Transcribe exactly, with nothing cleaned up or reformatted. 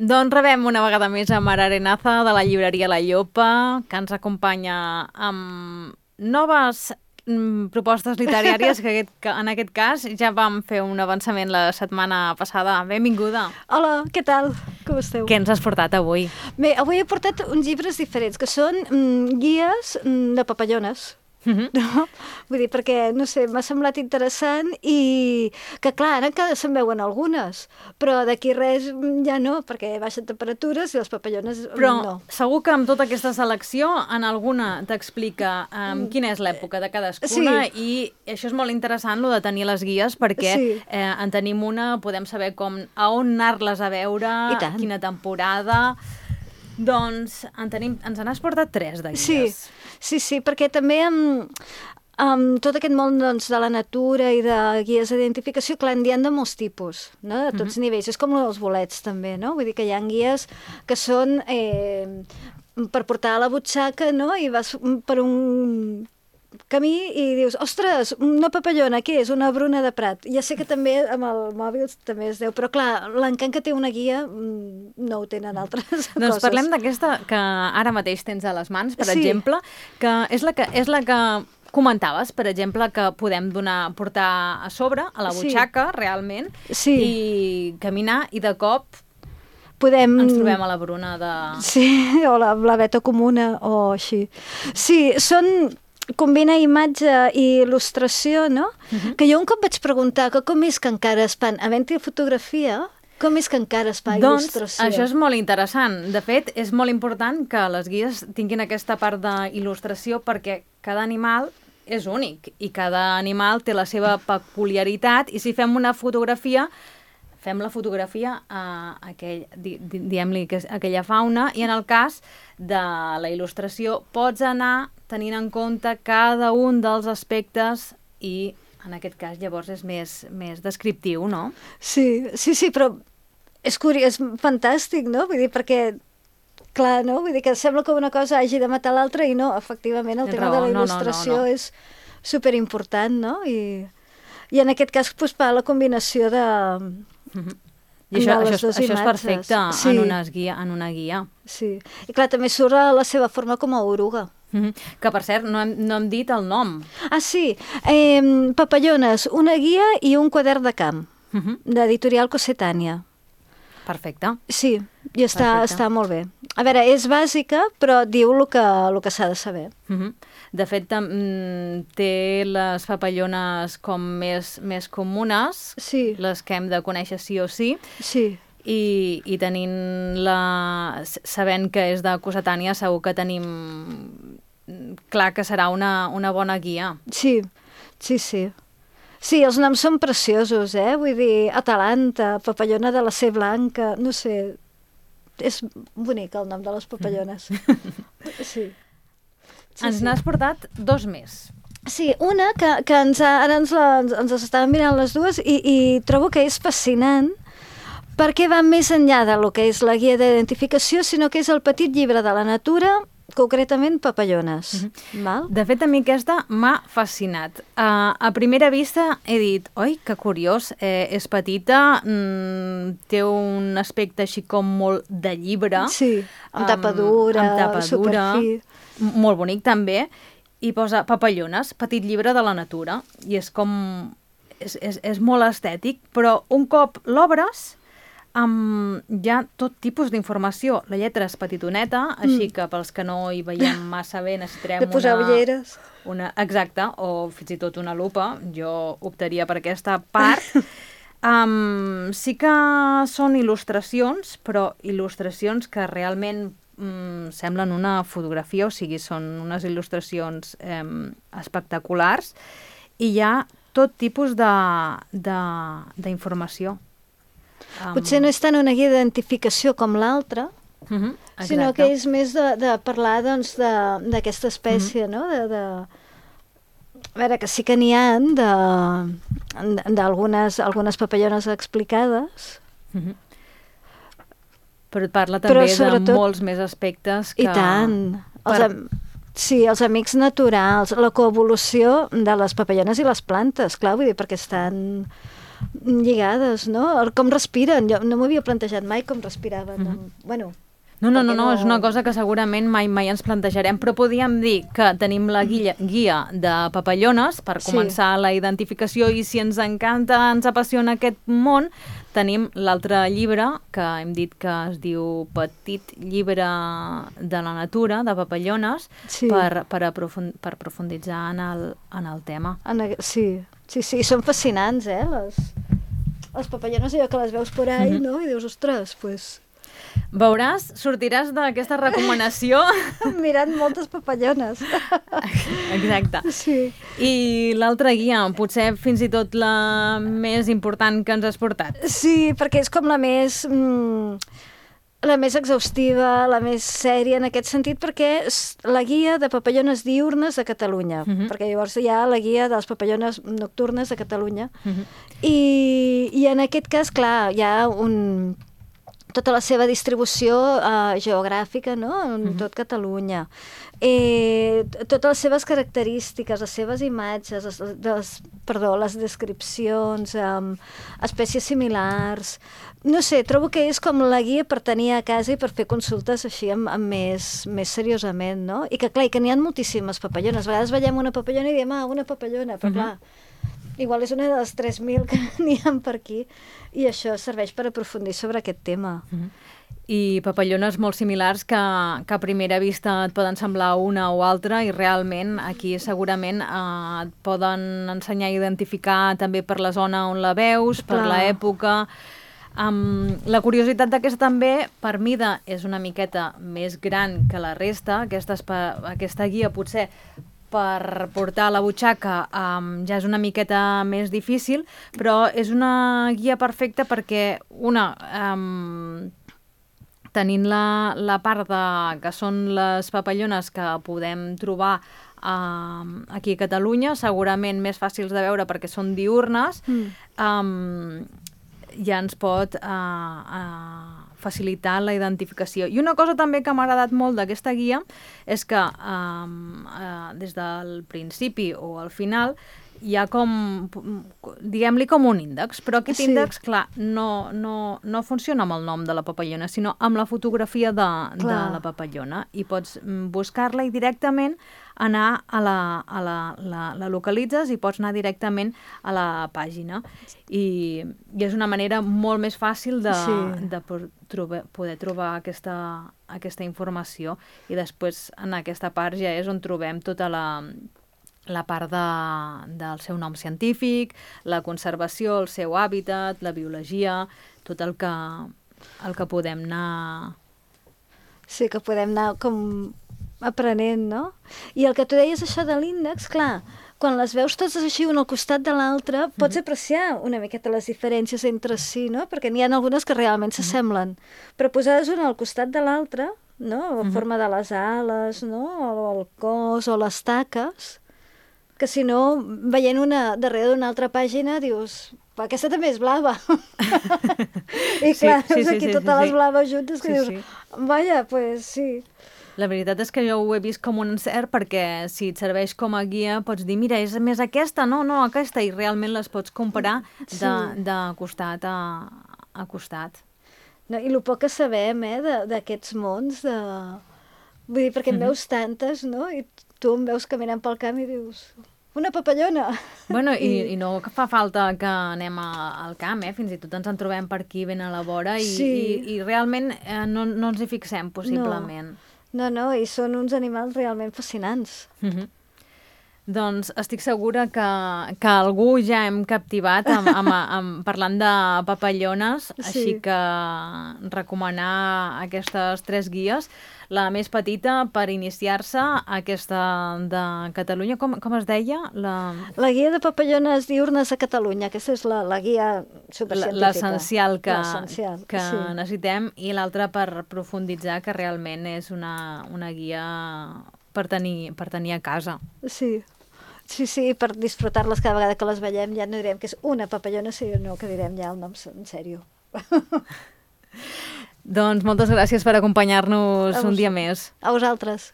Doncs rebem una vegada més a Mar Arenaza de la llibreria La Llopa, que ens acompanya amb noves mm, propostes literàries que, aquest, que en aquest cas ja vam fer un avançament la setmana passada. Benvinguda. Hola, què tal? Com esteu? Què ens has portat avui? Bé, avui he portat uns llibres diferents, que són mm, guies mm, de papallones. Mm-hmm. No? Vull dir, perquè, no sé, m'ha semblat interessant i que, clar, ara encara se'n veuen algunes, però d'aquí res ja no, perquè baixen temperatures i les papallones però no. Segur que amb tota aquesta selecció en alguna t'explica um, quina és l'època de cadascuna, sí. I això és molt interessant, lo de tenir les guies, perquè sí. eh, en tenim una, podem saber com a on anar-les a veure, quina temporada. Doncs en tenim, ens n'has portat tres de guies. Sí, sí, sí, perquè també amb, amb tot aquest món doncs, de la natura i de guies d'identificació, clar, n'hi ha de molts tipus, no? De tots mm-hmm. nivells. És com els bolets també, no? Vull dir que hi ha guies que són eh, per portar a la butxaca, no? I vas per un camí i dius, ostres, una papallona, què és? Una bruna de Prat. Ja sé que també amb el mòbil també es deu, però clar, l'encant que té una guia no ho tenen altres doncs coses. Doncs parlem d'aquesta que ara mateix tens a les mans, per sí. exemple, que és la que, és la que comentaves, per exemple, que podem donar, portar a sobre, a la butxaca, sí. realment, sí. i caminar, i de cop podem... ens trobem a la Bruna de... Sí, o la blaveta comuna, o així. Sí, són... combina imatge i il·lustració, no? Uh-huh. Que jo un cop vaig preguntar que com és que encara es fan, havent-hi fotografia, com és que encara es fa doncs, il·lustració? Doncs això és molt interessant. De fet, és molt important que les guies tinguin aquesta part d'il·lustració perquè cada animal és únic i cada animal té la seva peculiaritat i si fem una fotografia, fem la fotografia a aquell, di, di, diguem-li, que és aquella fauna i en el cas de la il·lustració pots anar tenint en compte cada un dels aspectes i en aquest cas llavors és més, més descriptiu, no? Sí, sí, sí, però és curiós, és fantàstic, no? Vull dir, perquè, clar, no? Vull dir que sembla que una cosa hagi de matar l'altra i no, efectivament, el tema raó, de la il·lustració no, no, no, no. és superimportant, no? I, i en aquest cas, doncs, fa la combinació de... Mm-hmm. I això, això, això és perfecte sí. en, unes guia, en una guia. Sí, i clar, també surt la seva forma com a oruga. Mm-hmm. Que, per cert, no hem, no hem dit el nom. Ah, sí. Eh, Papallones, una guia i un quadern de camp, mm-hmm. d'editorial Cossetània. Perfecte. Sí, i està, està molt bé. A veure, és bàsica, però diu el que, el que s'ha de saber. Mm-hmm. De fet, té les papallones com més, més comunes, sí. les que hem de conèixer sí o sí. Sí. I, i tenint la... sabent que és de Cossetània, segur que tenim clar que serà una, una bona guia. Sí, sí, sí. Sí, els noms són preciosos, eh? Vull dir, Atalanta, papallona de la C blanca, no sé, és bonic el nom de les papallones. Sí. Sí, ens sí. n'has portat dos més. Sí, una que, que ens ha, ara ens, la, ens, ens estàvem mirant les dues i, i trobo que és fascinant perquè va més enllà del que és la guia d'identificació, sinó que és el petit llibre de la natura, concretament papallones. Mm-hmm. Val? De fet, a mi aquesta m'ha fascinat. Uh, a primera vista he dit, oi, que curiós, eh, és petita, mm, té un aspecte així com molt de llibre. Sí, amb tapa dura, amb tapa dura, superfi. Molt bonic també, i posa papallones, petit llibre de la natura, i és com... és, és, és molt estètic, però un cop l'obres amb ja tot tipus d'informació. La lletra és petitoneta, mm. així que pels que no hi veiem massa bé necessitarem de posar una... ulleres. Una, exacte, o fins i tot una lupa. Jo optaria per aquesta part. um, sí que són il·lustracions, però il·lustracions que realment mm, semblen una fotografia, o sigui, són unes il·lustracions eh, espectaculars i hi ha tot tipus d'informació. Um... Potser no és tant una guia d'identificació com l'altra, uh-huh, sinó que és més de, de parlar doncs, d'aquesta espècie, uh-huh. no? De, de... A veure, que sí que n'hi ha d'algunes algunes papallones explicades. Uh-huh. Però et parla també sobretot... de molts més aspectes que... I tant. Per... Els, am... Sí, els amics naturals, la coevolució de les papallones i les plantes, clar, vull dir, perquè estan... lligades, no? El com respiren. Jo no m'havia plantejat mai com respiraven. Mm-hmm. Bueno, No, no, no, no, és una cosa que segurament mai mai ens plantejarem, però podríem dir que tenim la guia, guia de papallones per començar sí. la identificació, i si ens encanta, ens apassiona aquest món, tenim l'altre llibre que hem dit que es diu Petit llibre de la natura, de papallones, sí. per, per, aprofund, per profunditzar en el, en el tema. En, sí, sí, sí, són fascinants, eh, les, les papallones, allò que les veus por ahí, mm-hmm. no? I dius, ostres, pues... Veuràs, sortiràs d'aquesta recomanació mirant moltes papallones. Exacte. Sí. I l'altra guia, potser fins i tot la més important que ens has portat. Sí, perquè és com la més... Mm, la més exhaustiva, la més sèria en aquest sentit, perquè és la guia de papallones diurnes de Catalunya, uh-huh. perquè llavors hi ha la guia de les papallones nocturnes de Catalunya. Uh-huh. I, I en aquest cas, clar, hi ha un... tota la seva distribució uh, geogràfica, no? En uh-huh. tot Catalunya. Eh, totes les seves característiques, les seves imatges, les, les, perdó, les descripcions, um, espècies similars... No sé, trobo que és com la guia per tenir a casa i per fer consultes així amb, amb més, més seriosament, no? I que, clar, i que n'hi ha moltíssimes papallones. A vegades veiem una papallona i diem, ah, una papallona, però uh-huh. clar... Igual és una de les tres mil que n'hi ha per aquí, i això serveix per aprofundir sobre aquest tema. Mm-hmm. I papallones molt similars que, que a primera vista et poden semblar una o altra, i realment aquí segurament eh, et poden ensenyar a identificar també per la zona on la veus, per l'època. Um, la curiositat d'aquesta també, per mida, és una miqueta més gran que la resta. Aquesta, aquesta guia potser per portar a la butxaca um, ja és una miqueta més difícil, però és una guia perfecta perquè, una, um, tenint la, la part de, que són les papallones que podem trobar um, aquí a Catalunya, segurament més fàcils de veure perquè són diurnes, mm. um, ja ens pot uh, uh, facilitar la identificació. I una cosa també que m'ha agradat molt d'aquesta guia és que um, uh, des del principi o al final hi ha com, diguem-li com un índex, però aquest sí. índex, clar, no, no, no funciona amb el nom de la papallona, sinó amb la fotografia de, de la papallona, i pots buscar-la i directament anar a la, a la, la, la localitzes i pots anar directament a la pàgina. I, i és una manera molt més fàcil de, sí. de trobar, poder trobar aquesta, aquesta informació, i després en aquesta part ja és on trobem tota la la part de, del seu nom científic, la conservació, el seu hàbitat, la biologia, tot el que, el que podem anar... Sí, que podem anar com aprenent, no? I el que tu deies, això de l'índex, clar, quan les veus totes així un al costat de l'altre, pots mm-hmm. apreciar una miqueta les diferències entre si, no? Perquè n'hi ha algunes que realment s'assemblen. Mm-hmm. Però posades una al costat de l'altra, no? La mm-hmm. forma de les ales, no? O el cos, o les taques... que si no, veient una darrere d'una altra pàgina, dius, aquesta també és blava. I clar, sí, sí, sí, aquí sí, totes sí, les sí. blaves juntes, que sí, dius, sí. vaja, pues sí. La veritat és que jo ho he vist com un encert, perquè si et serveix com a guia, pots dir, mira, és més aquesta, no, no, aquesta, i realment les pots comparar de, sí. de costat a, a costat. No, i el poc que sabem, eh, d'aquests mons, de... vull dir, perquè en veus tantes, no? I tu em veus caminant pel camp i dius... Una papallona! Bueno, i, i no fa falta que anem a, al camp, eh? Fins i tot ens en trobem per aquí ben a la vora, i, sí. i, i realment eh, no, no ens hi fixem, possiblement. No, no, no, i són uns animals realment fascinants. Mm-hmm. Doncs estic segura que, que algú ja hem captivat amb, amb, amb, parlant de papallones, sí. Així que recomanar aquestes tres guies. La més petita per iniciar-se, aquesta de Catalunya, com, com es deia? La... la guia de papallones diurnes a Catalunya, aquesta és la, la guia supercientífica. L'essencial que, que sí. necessitem, i l'altra per profunditzar, que realment és una, una guia per tenir, per tenir a casa. Sí. Sí, sí, per disfrutar-les cada vegada que les veiem, ja no direm que és una papallona, sinó que direm ja el nom en sèrio. Doncs moltes gràcies per acompanyar-nos un dia més. A vosaltres.